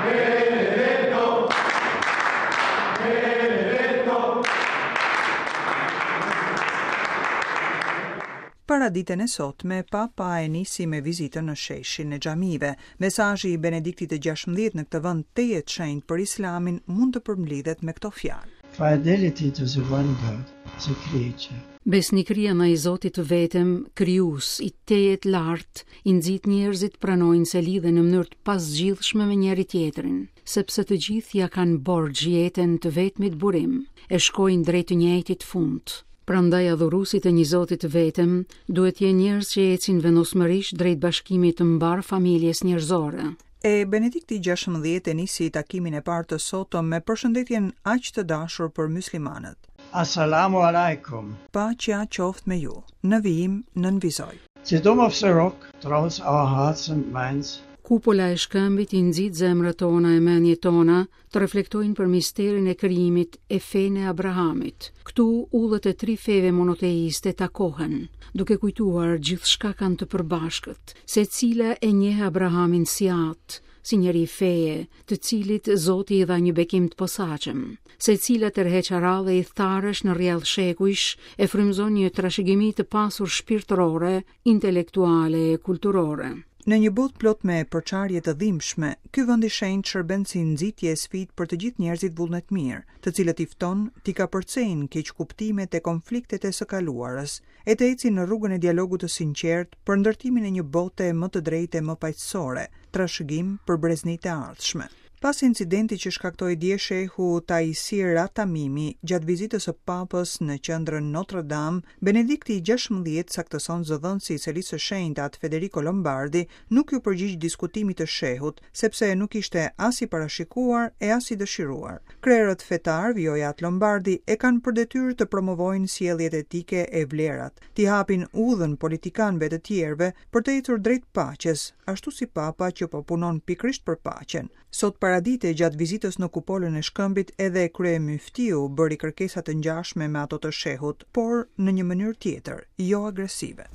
Benedetto! Benedetto! Paraditen e sotme, Papa e nisi me vizitën në sheshin e xhamive. Mesazhi i Benediktit të 16 në këtë vend tejet të shenjtë për Islamin mund të përmblidhet me këto fjalë. Fidelity to the one God, the Creator. Besnikëria ndaj Zotit të vetëm, krijues i tejet lartë, i nxit njerëzit të pranojnë se lidhen në mënyrë të pazgjidhshme me njëri-tjetrin, sepse të gjithë ia kanë borxh jetën të vetmit burim, e shkojnë drejt të njëjtit fund. Prandaj adhuruesit e një Zoti të vetëm duhet të jenë njerëz që ecin vendosmërisht drejt bashkimit të mbarë familjes njerëzore. E Benedikti 16 e nisi takimin e parë të sotëm me përshëndetjen aq të dashur për myslimanët. Assalamu alaikum. Paqja qoftë me ju. Në vijim nënvizoi. The Dome of the Rock draws our hearts and minds Kupola e shkëmbit i nxit zemrat tona e mendjet tona të reflektojnë për misterin e krijimit e fenë e Abrahamit. Këtu udhët e tri feve monoteiste takohen, duke kujtuar gjithçka kanë të përbashkët, secila e njeh Abrahamin si atë, si njeri feje, të cilit Zoti i dha një bekim të posaçëm. Secila tërheq aradhe ithtarësh në rrjedhë shekujsh e frymëzon një trashëgimi të pasur shpirtërore, intelektuale e kulturore. Në një botë plot me përçarje të dhimbshme, ky vend i shenjtë shërben si nxitje e sfidë për të gjithë njerëzit vullnetmirë, të cilët i fton t'i kapërcejnë keqkuptimet e konfliktet e së kaluarës, e të ecin në rrugën e dialogut të sinqertë për ndërtimin e një bote më të drejtë e më paqësore, trashëgim për breznitë e ardhshme. Pas incidentit që shkaktoi dje shehu Taysir At-Tamimi gjatë vizitës së Papës në qendrën Notre Dame, Benedikti i 16, saktëson zëdhënësi i Selisë së Shenjtë Atë Federico Lombardi, nuk iu përgjigj diskutimit të shehut, sepse nuk ishte as i parashikuar e as i dëshiruar. Krerët fetarë, vijoi Atë Lombardi, e kanë për detyrë të promovojnë sjelljet etike e vlerat, t'i hapin udhën politikanëve të tjerëve për të ecur drejt paqes, ashtu si Papa që po punon pikërisht për paqen. Sot paradite, gjatë vizitës në kupolën e Shkëmbit, edhe kryemyftiu bëri kërkesa të ngjashme me ato të shehut, por në një mënyrë tjetër, jo agresive.